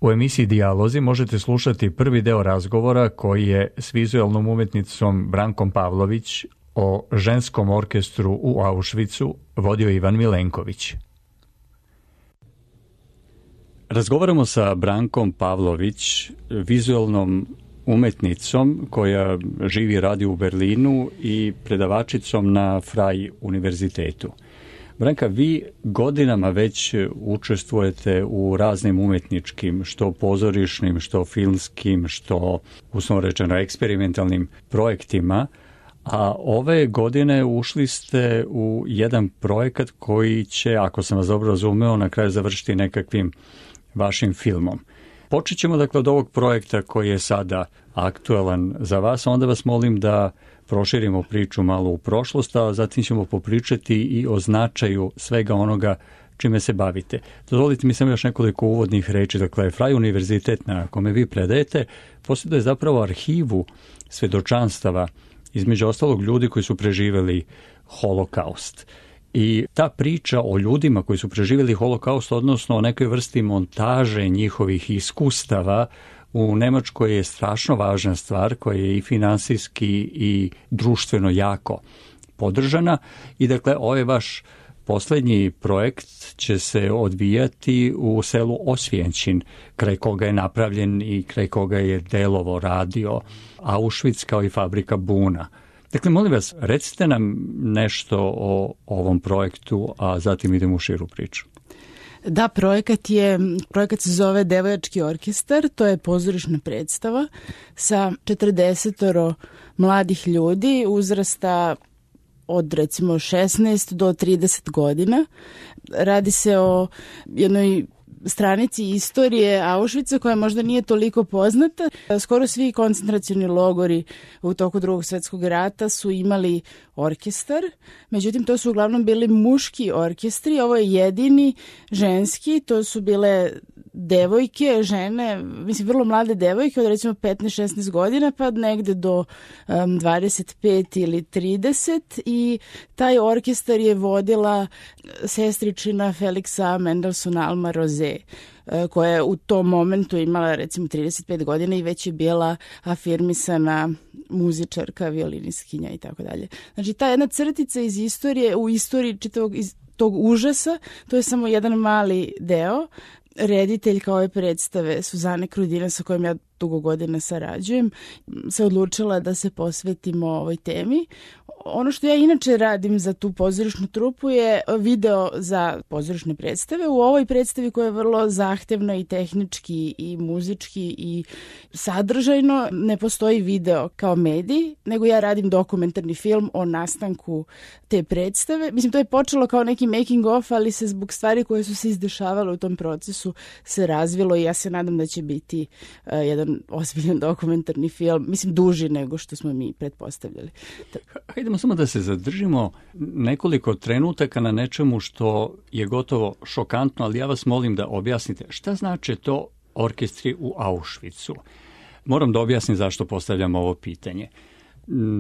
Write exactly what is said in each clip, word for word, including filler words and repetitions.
U emisiji Dijalozi možete slušati prvi deo razgovora koji je s vizualnom umetnicom Brankom Pavlović o ženskom orkestru u Auschwitzu vodio Ivan Milenković. Razgovaramo sa Brankom Pavlović, vizualnom umetnicom koja živi i radi u Berlinu i predavačicom na Frei univerzitetu. Branka, vi godinama već učestvujete u raznim umetničkim, što pozorišnim, što filmskim, što, uslovno rečeno, eksperimentalnim projektima, a ove godine ušli ste u jedan projekat koji će, ako sam vas dobro razumeo, na kraju završiti nekakvim vašim filmom. Počet ćemo dakle od ovog projekta koji je sada aktualan za vas, a onda vas molim da proširimo priču malo u prošlost, a zatim ćemo popričati i o značaju svega onoga čime se bavite. Dozvolite mi samo još nekoliko uvodnih reči. Dakle, Frei univerzitet na kome vi predajete posjeduje zapravo arhivu svedočanstava, između ostalog ljudi koji su preživjeli holokaust. I ta priča o ljudima koji su preživjeli holokaust, odnosno o nekoj vrsti montaže njihovih iskustava, u Nemačkoj je strašno važna stvar koja je i finansijski i društveno jako podržana. I dakle, ovaj vaš posljednji projekt će se odvijati u selu Osvjenčin, kraj koga je napravljen i kraj koga je delovo radio Auschwitz kao i fabrika Buna. Dakle, molim vas, recite nam nešto o ovom projektu, a zatim idemo u širu priču. Da, projekat je, projekat se zove Devojački orkestar, to je pozorišna predstava sa četrdesetoro mladih ljudi uzrasta od recimo šesnaest do trideset godina. Radi se o jednoj stranici istorije Auschwitza koja možda nije toliko poznata. Skoro svi koncentracioni logori u toku Drugog svjetskog rata su imali orkestar, međutim to su uglavnom bili muški orkestri, ovo je jedini ženski, to su bile devojke, žene, mislim vrlo mlade devojke od recimo petnaest šesnaest godina pa negde do um, dvadeset pet ili trideset i taj orkestar je vodila sestričina Felixa Mendelssohn Alma Rosé, koja je u tom momentu imala recimo trideset pet godina i već je bila afirmisana muzičarka, violinistkinja i tako dalje. Znači ta jedna crtica iz istorije, u istoriji čitavog iz tog užasa, to je samo jedan mali deo. Rediteljka ove predstave, Suzane Krudina, sa kojom ja dugo godina sarađujem, se odlučila da se posvetimo ovoj temi. Ono što ja inače radim za tu pozorišnu trupu je video za pozorišne predstave. U ovoj predstavi koja je vrlo zahtevna i tehnički i muzički i sadržajno ne postoji video kao medij, nego ja radim dokumentarni film o nastanku te predstave. Mislim, to je počelo kao neki making of, ali se zbog stvari koje su se izdešavale u tom procesu se razvilo i ja se nadam da će biti uh, jedan ozbiljan dokumentarni film, mislim duži nego što smo mi pretpostavljali. Hajdemo samo da se zadržimo nekoliko trenutaka na nečemu što je gotovo šokantno, ali ja vas molim da objasnite šta znači to orkestri u Auschwitzu. Moram da objasnim zašto postavljam ovo pitanje.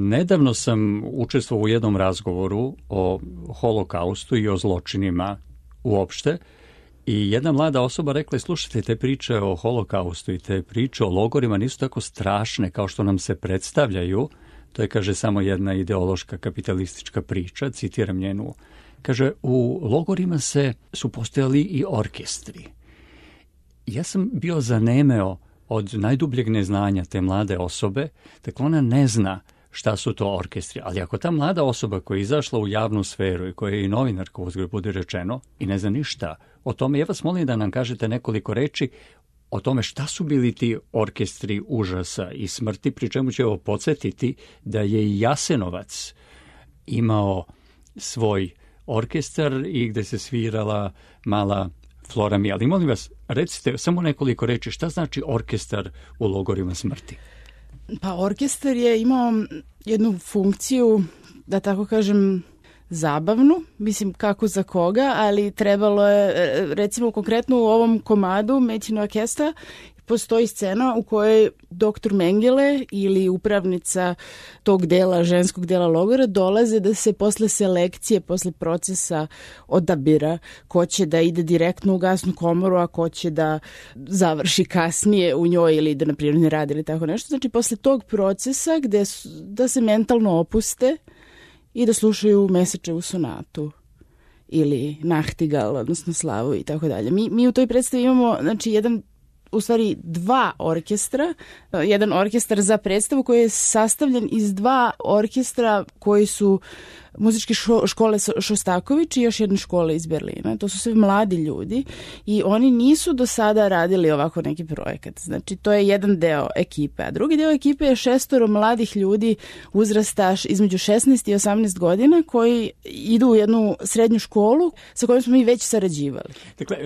Nedavno sam učestvovao u jednom razgovoru o holokaustu i o zločinima uopšte i jedna mlada osoba rekla je, slušajte, te priče o holokaustu i te priče o logorima nisu tako strašne kao što nam se predstavljaju. To je, kaže, samo jedna ideološka kapitalistička priča, citiram njenu. Kaže, u logorima se su postojali i orkestri. Ja sam bio zanemeo od najdubljeg neznanja te mlade osobe, dakle ona ne zna šta su to orkestri. Ali ako ta mlada osoba koja je izašla u javnu sferu i koja je i novinarka, uzgled bude rečeno, i ne zna ništa o tome, ja vas molim da nam kažete nekoliko reči o tome šta su bili ti orkestri užasa i smrti, pri čemu ću ovo podsjetiti da je i Jasenovac imao svoj orkestar i gde se svirala mala Flora Mija. Ali molim vas, recite samo nekoliko reči, šta znači orkestar u logorima smrti? Pa orkestar je imao jednu funkciju, da tako kažem, zabavnu, mislim kako za koga, ali trebalo je, recimo konkretno u ovom komadu Mädchen Orchester postoji scena u kojoj doktor Mengele ili upravnica tog dela, ženskog dela logora, dolaze da se posle selekcije, posle procesa odabira ko će da ide direktno u gasnu komoru, a ko će da završi kasnije u njoj ili da na prirodni rad ili tako nešto. Znači, posle tog procesa gde su, da se mentalno opuste i da slušaju Mesečevu sonatu ili Nachtigal, odnosno Slavu i tako dalje. Mi, mi u toj predstavi imamo, znači, jedan, u stvari dva orkestra, jedan orkestar za predstavu koji je sastavljen iz dva orkestra koji su muzičke škole Šostaković i još jedne škole iz Berlina. To su sve mladi ljudi i oni nisu do sada radili ovako neki projekat. Znači, to je jedan deo ekipe. A drugi deo ekipe je šestoro mladih ljudi uzrasta između šesnaest i osamnaest godina koji idu u jednu srednju školu sa kojom smo mi već sarađivali. Dakle,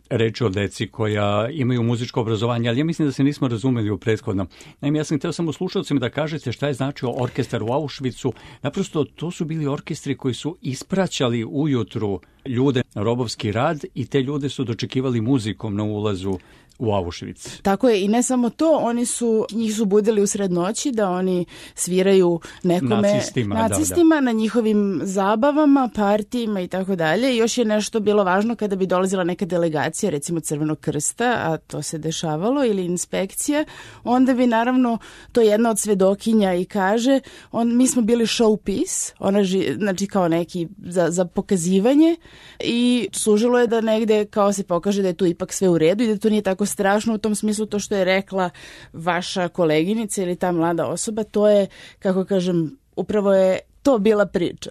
reč o deci koja imaju muzičko obrazovanje, ali ja mislim da se nismo razumeli u prethodnom. Naime, ja sam htio samo slušalcima da kažete šta je značio orkestar u Auschwitzu. Naprosto, to su bili orkestri koji su ispraćali ujutru ljude na robovski rad i te ljude su dočekivali muzikom na ulazu u Auschwitz. Tako je, i ne samo to, oni su, njih su budili u sred noći da oni sviraju nekome nacistima, nacistima da, da. na njihovim zabavama, partijima i tako dalje. I još je nešto bilo važno kada bi dolazila neka delegacija, recimo Crvenog krsta, a to se dešavalo, ili inspekcija, onda bi naravno to jedna od svedokinja i kaže, on, mi smo bili showpiece, ona ži, znači kao neki za, za pokazivanje i služilo je da negde kao se pokaže da je tu ipak sve u redu i da to nije tako strašno u tom smislu. To što je rekla vaša koleginica ili ta mlada osoba, to je, kako kažem, upravo je to bila priča.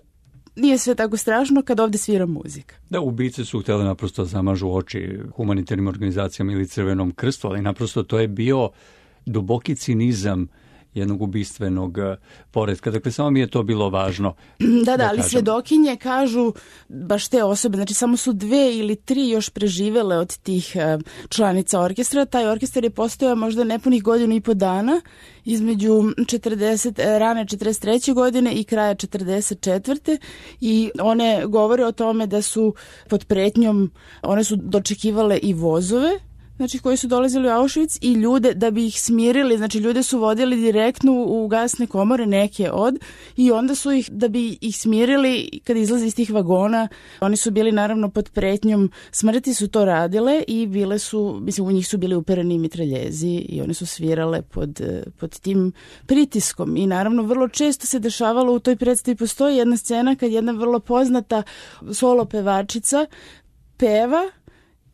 Nije sve tako strašno kad ovde svira muzika. Da, ubice su htjeli naprosto zamažu oči humanitarnim organizacijama ili Crvenom krstu, ali naprosto to je bio duboki cinizam jednog ubistvenog poretka. Dakle, samo mi je to bilo važno. Da, da, da ali svedokinje kažu baš te osobe, znači samo su dve ili tri još preživele od tih članica orkestra. Taj orkestar je postojao možda nepunih godinu i po dana između četrdeset, rane četrdeset treće godine i kraja četrdeset četvrte i one govore o tome da su pod pretnjom, one su dočekivale i vozove, znači koji su dolazili u Auschwitz i ljude da bi ih smirili, znači ljude su vodili direktno u gasne komore, neke od, i onda su ih, da bi ih smirili kad izlaze iz tih vagona, oni su bili naravno pod pretnjom smrti, su to radile i bile su, mislim, u njih su bili upereni mitraljezi i one su svirale pod, pod tim pritiskom i naravno vrlo često se dešavalo u toj predstavi, postoji jedna scena kad jedna vrlo poznata solo pevačica peva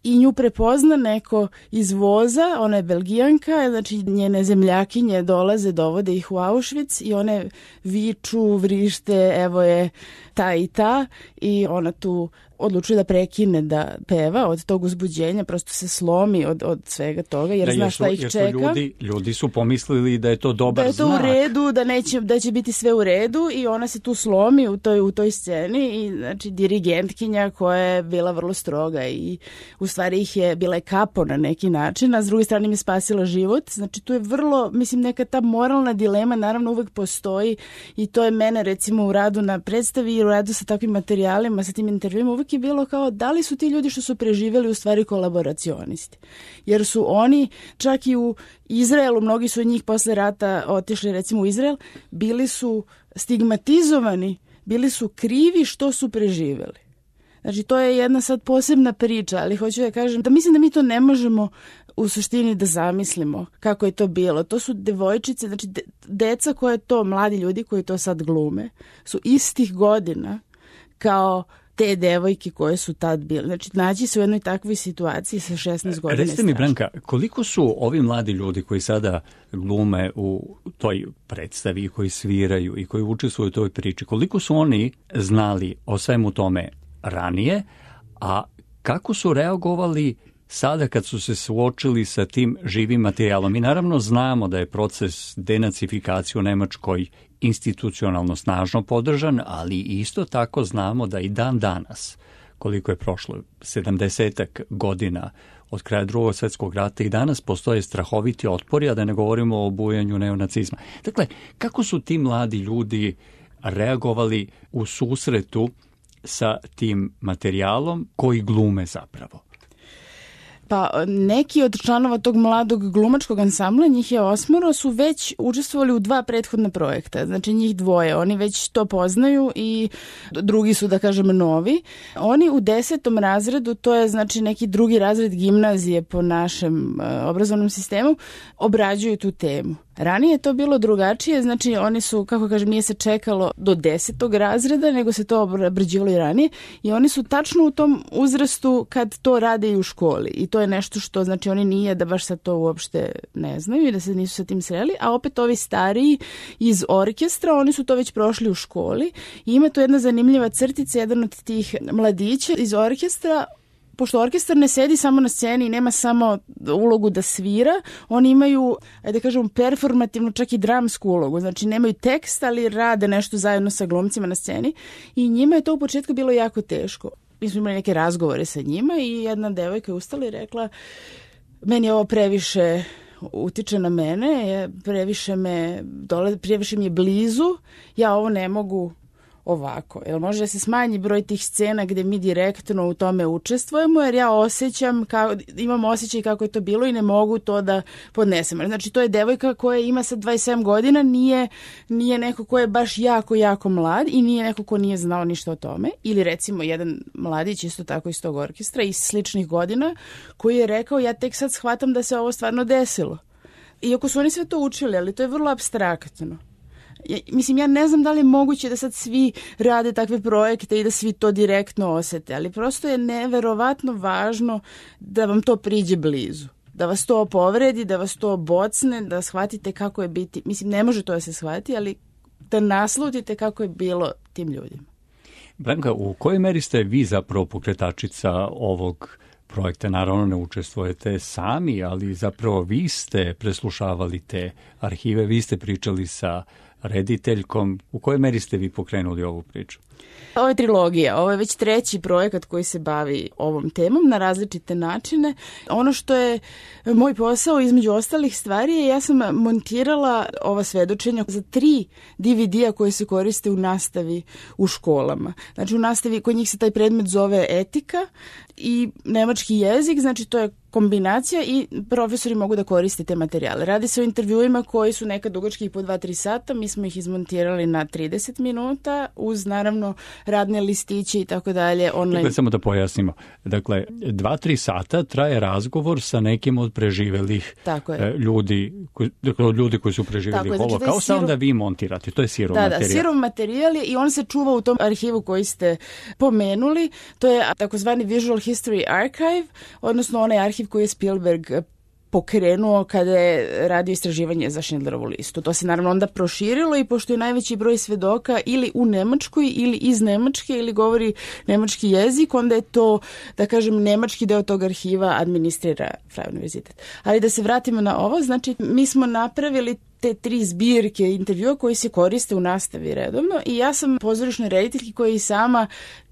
i nju prepozna neko iz voza, ona je Belgijanka, znači njene zemljakinje dolaze, dovode ih u Auschwitz i one viču, vrište, evo je ta i ta i ona tu odlučuje da prekine da peva od tog uzbuđenja, prosto se slomi od, od svega toga jer da, zna šta ih jer su čeka. Ljudi, ljudi su pomislili da je to dobar znak. Da je to znak. U redu, da, neće, da će biti sve u redu i ona se tu slomi u toj, u toj sceni i znači dirigentkinja koja je bila vrlo stroga i u stvari ih je bila je kapo na neki način, a s druge strane mi je spasila život. Znači tu je vrlo, mislim, neka ta moralna dilema naravno uvek postoji i to je mene recimo u radu na predstavi i u radu sa takvim materijalima, sa tim intervjuima uvek je bilo kao da li su ti ljudi što su preživjeli u stvari kolaboracionisti. Jer su oni čak i u Izraelu, mnogi su od njih posle rata otišli recimo u Izrael, bili su stigmatizovani, bili su krivi što su preživjeli. Znači to je jedna sad posebna priča, ali hoću da kažem da mislim da mi to ne možemo u suštini da zamislimo kako je to bilo. To su devojčice, znači de, deca koje to, mladi ljudi koji to sad glume, su istih godina kao te devojke koje su tad bile. Znači, naći se u jednoj takvoj situaciji sa šesnaest godina. Recite mi, Branka, koliko su ovi mladi ljudi koji sada glume u toj predstavi, koji sviraju i koji učestvuju u toj priči, koliko su oni znali o svemu tome ranije, a kako su reagovali sada kad su se suočili sa tim živim materijalom? Mi naravno znamo da je proces denacifikacije u Nemačkoj institucionalno snažno podržan, ali isto tako znamo da i dan danas, koliko je prošlo, sedamdesetak godina od kraja Drugog svjetskog rata, i danas postoje strahoviti otpori, a da ne govorimo o obujanju neonacizma. Dakle, kako su ti mladi ljudi reagovali u susretu sa tim materijalom koji glume zapravo? Pa neki od članova tog mladog glumačkog ansambla, njih je osmoro, su već učestvovali u dva prethodna projekta. Znači njih dvoje, oni već to poznaju i drugi su, da kažem, novi. Oni u desetom razredu, to je znači neki drugi razred gimnazije po našem uh, obrazovnom sistemu, obrađuju tu temu. Ranije je to bilo drugačije, znači oni su, kako kažem, nije se čekalo do desetog razreda, nego se to obrađivalo i ranije i oni su tačno u tom uzrastu kad to rade i u školi i to je nešto što, znači oni nije da baš sad to uopšte ne znaju i da se nisu sa tim sreli, a opet ovi stariji iz orkestra, oni su to već prošli u školi i ima tu jedna zanimljiva crtica, jedan od tih mladića iz orkestra. Pošto orkestar ne sedi samo na sceni i nema samo ulogu da svira, oni imaju, ajde da kažem, performativnu, čak i dramsku ulogu. Znači nemaju tekst, ali rade nešto zajedno sa glumcima na sceni i njima je to u početku bilo jako teško. Mi smo imali neke razgovore sa njima i jedna devojka je ustala i rekla, meni je ovo previše utiče na mene, previše me dole, previše mi je blizu, ja ovo ne mogu ovako. Jel može da se smanji broj tih scena gde mi direktno u tome učestvujemo, jer ja osjećam, kao, imam osjećaj kako je to bilo i ne mogu to da podnesem. Znači to je devojka koja ima sad dvadeset sedam godina, nije, nije neko ko je baš jako, jako mlad i nije neko ko nije znao ništa o tome. Ili recimo jedan mladić isto tako iz tog orkestra iz sličnih godina koji je rekao, ja tek sad shvatam da se ovo stvarno desilo. Iako su oni sve to učili, ali to je vrlo apstraktno. Ja, mislim, ja ne znam da li je moguće da sad svi rade takve projekte i da svi to direktno osete, ali prosto je neverovatno važno da vam to priđe blizu. Da vas to povredi, da vas to bocne, da shvatite kako je biti. Mislim, ne može to da se shvati, ali da naslutite kako je bilo tim ljudima. Branka, u kojoj meri ste vi zapravo pokretačica ovog projekta? Naravno ne učestvujete sami, ali zapravo vi ste preslušavali te arhive, vi ste pričali sa rediteljkom. U kojoj meri ste vi pokrenuli ovu priču? Ovo je trilogija, ovo je već treći projekat koji se bavi ovom temom na različite načine. Ono što je moj posao između ostalih stvari je ja sam montirala ova svedočenja za tri D V D-a koje se koriste u nastavi u školama. Znači u nastavi kod njih se taj predmet zove etika i nemački jezik, znači to je kombinacija i profesori mogu da koriste te materijale. Radi se o intervjuima koji su nekad dugački po dva do tri sata, mi smo ih izmontirali na trideset minuta uz naravno radne listiće i tako dalje. Online. Dakle, samo da pojasnimo. Dakle, dva do tri sata traje razgovor sa nekim od preživelih ljudi, koji, dakle, od ljudi koji su preživjeli tako, holokaust, znači, onda vi montirate. To je sirov da, materijal. Da, sirov materijal je i on se čuva u tom arhivu koji ste pomenuli. To je takozvani Visual History Archive, odnosno onaj arhiv koji je Spielberg pokrenuo kada je radio istraživanje za Schindlerovu listu. To se naravno onda proširilo i pošto je najveći broj svedoka ili u Nemačkoj ili iz Nemačke ili govori nemački jezik, onda je to, da kažem, nemački deo tog arhiva administrira Freie Universitet. Ali da se vratimo na ovo, znači mi smo napravili te tri zbirke intervjua koji se koriste u nastavi redovno i ja sam pozorišnoj rediteljki koja i sama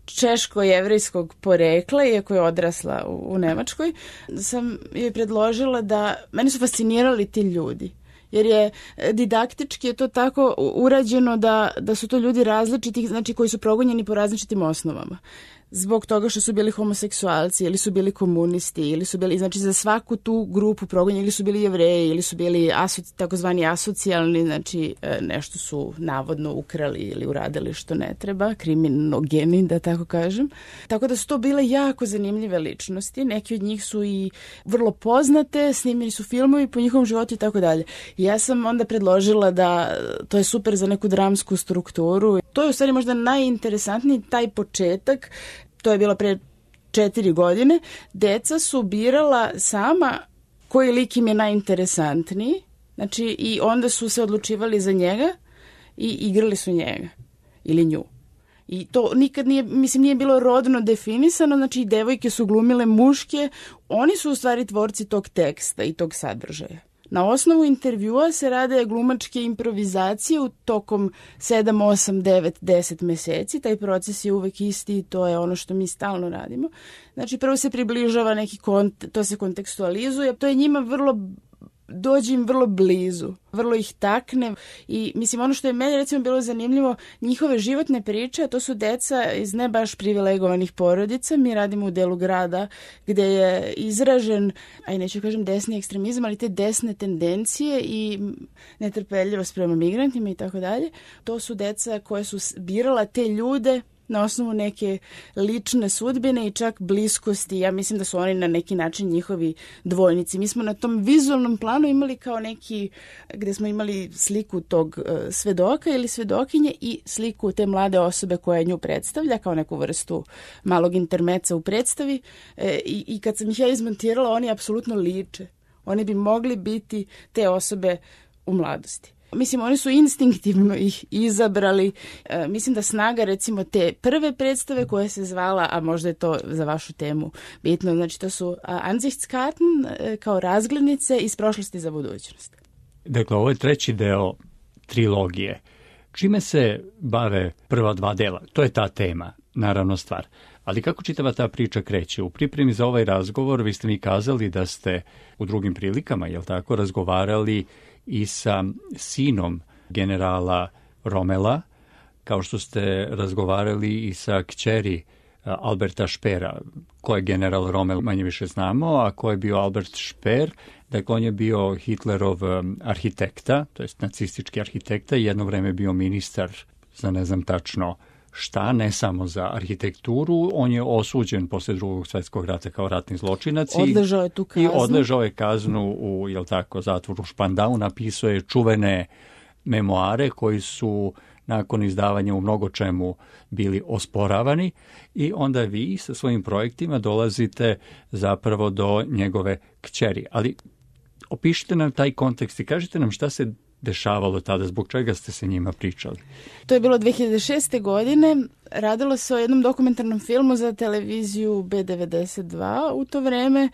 češko-jevrejskog porekla, iako je odrasla u, u Nemačkoj, sam joj predložila da, meni su fascinirali ti ljudi, jer je didaktički je to tako urađeno da, da su to ljudi različitih, znači koji su progonjeni po različitim osnovama. Zbog toga što su bili homoseksualci ili su bili komunisti ili su bili, znači za svaku tu grupu progonjeni ili su bili Jevreji ili su bili asoci, takozvani asocijalni, znači nešto su navodno ukrali ili uradili što ne treba, kriminogeni da tako kažem. Tako da su to bile jako zanimljive ličnosti, neki od njih su i vrlo poznate, snimljeni su filmovi po njihovom životu i tako dalje. Ja sam onda predložila da to je super za neku dramsku strukturu. To je u stvari možda najinteresantniji taj početak. To je bilo pre četiri godine. Deca su birala sama koji lik im je najinteresantniji. Znači, i onda su se odlučivali za njega i igrali su njega ili nju. I to nikad nije, mislim, nije bilo rodno definisano, znači i devojke su glumile muške. Oni su u stvari tvorci tog teksta i tog sadržaja. Na osnovu intervjua se rade glumačke improvizacije u tokom sedam, osam, devet, deset meseci. Taj proces je uvek isti i to je ono što mi stalno radimo. Znači prvo se približava neki kont, to se kontekstualizuje. To je njima vrlo dođe im vrlo blizu, vrlo ih takne i mislim ono što je meni recimo bilo zanimljivo, njihove životne priče, to su deca iz ne baš privilegovanih porodica, mi radimo u delu grada gdje je izražen, aj neću kažem desni ekstremizam, ali te desne tendencije i netrpeljivost prema migrantima i tako dalje. To su deca koje su birala te ljude na osnovu neke lične sudbine i čak bliskosti. Ja mislim da su oni na neki način njihovi dvojnici. Mi smo na tom vizualnom planu imali kao neki, gdje smo imali sliku tog uh, svedoka ili svedokinje i sliku te mlade osobe koja nju predstavlja kao neku vrstu malog intermeca u predstavi. E, i, i kad sam ih ja izmontirala, oni apsolutno liče. Oni bi mogli biti te osobe u mladosti. Mislim, oni su instinktivno ih izabrali. E, mislim da snaga, recimo, te prve predstave koja se zvala, a možda je to za vašu temu bitno, znači to su Ansichtskarten e, kao razglednice iz prošlosti za budućnost. Dakle, ovo je treći deo trilogije. Čime se bave prva dva dela? To je ta tema, naravno stvar. Ali kako čitava ta priča kreće? U pripremi za ovaj razgovor vi ste mi kazali da ste u drugim prilikama, jel tako, razgovarali i sa sinom generala Romela, kao što ste razgovarali i sa kćeri Alberta Špera. Ko je general Romel, manje više znamo, a ko je bio Albert Šper? Dakle, on je bio Hitlerov arhitekta, to jest nacistički arhitekta i jedno vreme bio ministar za ne znam tačno šta, ne samo za arhitekturu. On je osuđen posle drugog svjetskog rata kao ratni zločinac. Odležao je tu kaznu. I odležao je kaznu u, jel tako, zatvoru Špandau. Napisao je čuvene memoare koji su nakon izdavanja u mnogo čemu bili osporavani i onda vi sa svojim projektima dolazite zapravo do njegove kćeri. Ali opišite nam taj kontekst i kažite nam šta se dešavalo tada, zbog čega ste se njima pričali. To je bilo dve hiljade šeste. godine. Radilo se o jednom dokumentarnom filmu za televiziju B devedeset dva u to vreme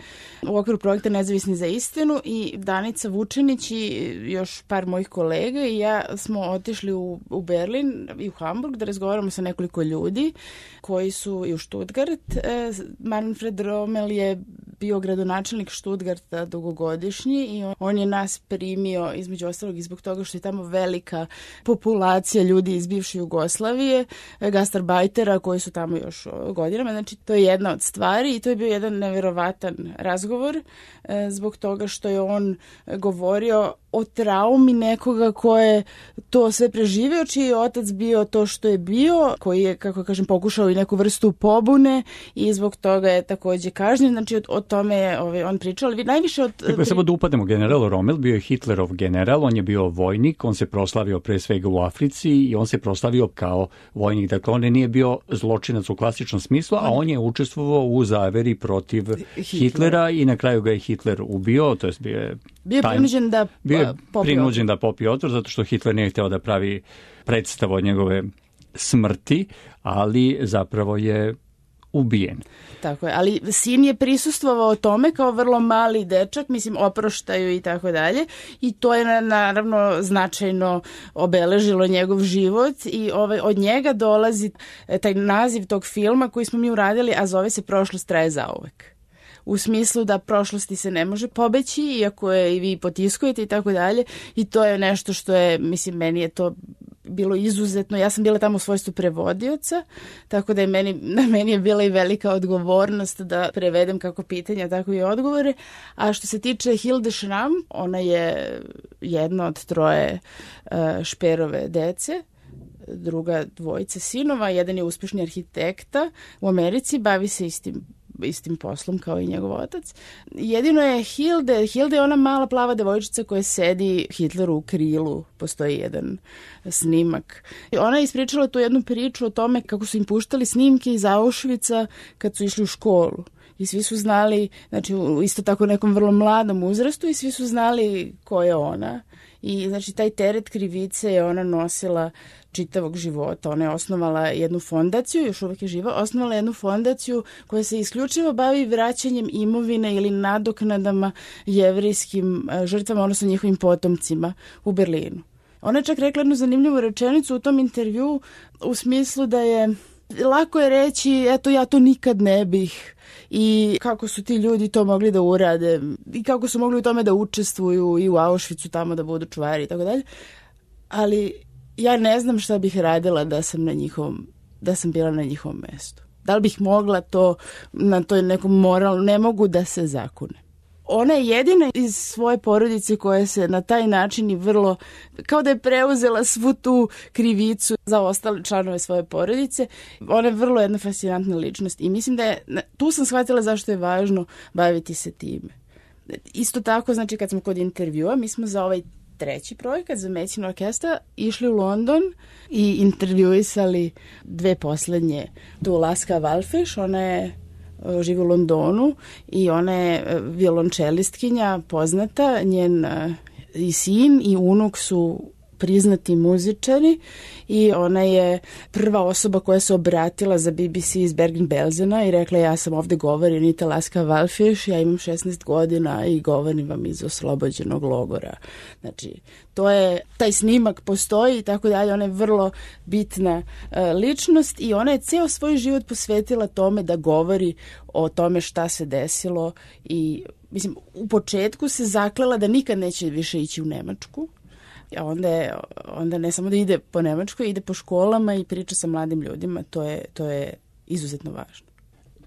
u okviru projekta Nezavisni za istinu i Danica Vučinić i još par mojih kolega i ja smo otišli u, u Berlin i u Hamburg da razgovaramo sa nekoliko ljudi koji su i u Stuttgart. E, Manfred Rommel je bio gradonačelnik Stuttgarta dugogodišnji i on, on je nas primio između ostalog i zbog toga što je tamo velika populacija ljudi iz bivše Jugoslavije, gastarbajtera koji su tamo još godinama. Znači, to je jedna od stvari i to je bio jedan nevjerovatan razgovor e, zbog toga što je on govorio o traumi nekoga ko je to sve preživio, čiji je otac bio to što je bio, koji je, kako kažem, pokušao i neku vrstu pobune i zbog toga je također kažnjen. Znači, o, o tome je ovaj, on pričao, ali najviše od... Dakle, samo da upademo, general Rommel bio je Hitlerov general, on je bio vojnik, on se proslavio pre svega u Africi i on se proslavio kao vojnik. Dakle, on nije bio zločinac u klasičnom smislu, a on je učestvovao u zaveri protiv Hitlera, Hitlera i na kraju ga je Hitler ubio, to jest bio je... Bio je prinuđen da bio je prinuđen da popije otvor, zato što Hitler nije htio da pravi predstavu od njegove smrti, ali zapravo je ubijen. Tako je, ali sin je prisustvovao tome kao vrlo mali dečak, mislim, oproštaju i tako dalje i to je naravno značajno obeležilo njegov život i ovaj, od njega dolazi taj naziv tog filma koji smo mi uradili, a zove se Prošlost traje zauvek. U smislu da prošlosti se ne može pobeći, iako je i vi potiskujete i tako dalje. I to je nešto što je, mislim, meni je to bilo izuzetno. Ja sam bila tamo u svojstvu prevodioca, tako da je meni, na meni je bila i velika odgovornost da prevedem kako pitanja, tako i odgovore. A što se tiče Hilde Schramm, ona je jedna od troje uh, Šperove dece, druga dvojice sinova, jedan je uspješni arhitekta u Americi, bavi se istim istim poslom kao i njegov otac. Jedino je Hilde, Hilde je ona mala plava devojčica koja sedi Hitleru u krilu, postoji jedan snimak. Ona je ispričala tu jednu priču o tome kako su im puštali snimke iz Auschwitza kad su išli u školu. I svi su znali, znači u isto tako nekom vrlo mladom uzrastu i svi su znali ko je ona. I znači taj teret krivice je ona nosila čitavog života. Ona je osnovala jednu fondaciju, još uvijek je živa, osnovala jednu fondaciju koja se isključivo bavi vraćanjem imovine ili nadoknadama jevrijskim žrtvama, odnosno njihovim potomcima u Berlinu. Ona je čak rekla jednu zanimljivu rečenicu u tom intervju u smislu da je Lako je reći, eto ja to nikad ne bih i kako su ti ljudi to mogli da urade i kako su mogli u tome da učestvuju i u Auschwitzu tamo da budu čuvari i tako dalje. Ali ja ne znam šta bih radila da sam na njihovom, da sam bila na njihovom mestu. Da li bih mogla to na toj nekom moralu, ne mogu da se zakune. Ona je jedina iz svoje porodice koja se na taj način i vrlo, kao da je preuzela svu tu krivicu za ostale članove svoje porodice. Ona je vrlo jedna fascinantna ličnost i mislim da je, tu sam shvatila zašto je važno baviti se time. Isto tako, znači kad smo kod intervjua, mi smo za ovaj treći projekat za Medicine Orchestra išli u London i intervjuisali dve poslednje. Tu Laska Wallfisch, ona je živi u Londonu i ona je violončelistkinja poznata, njen i sin i unuk su priznati muzičari i ona je prva osoba koja se obratila za B B C iz Bergen-Belsena i rekla ja sam ovde govorim Nita Laska Wallfisch, ja imam šesnaest godina i govorim vam iz oslobođenog logora. Znači, to je, taj snimak postoji i tako dalje, ona je vrlo bitna uh, ličnost i ona je ceo svoj život posvetila tome da govori o tome šta se desilo i, mislim, u početku se zaklela da nikad neće više ići u Nemačku. A onda, je, onda ne samo da ide po Nemačkoj, ide po školama i priča sa mladim ljudima, to je, to je izuzetno važno.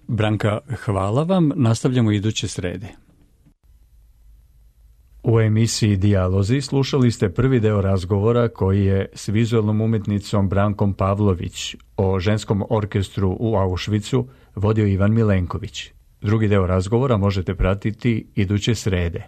Branka, hvala vam, nastavljamo iduće srede. U emisiji Dijalozi slušali ste prvi deo razgovora koji je s vizualnom umetnicom Brankom Pavlović o ženskom orkestru u Auschwitzu vodio Ivan Milenković. Drugi deo razgovora možete pratiti iduće srede.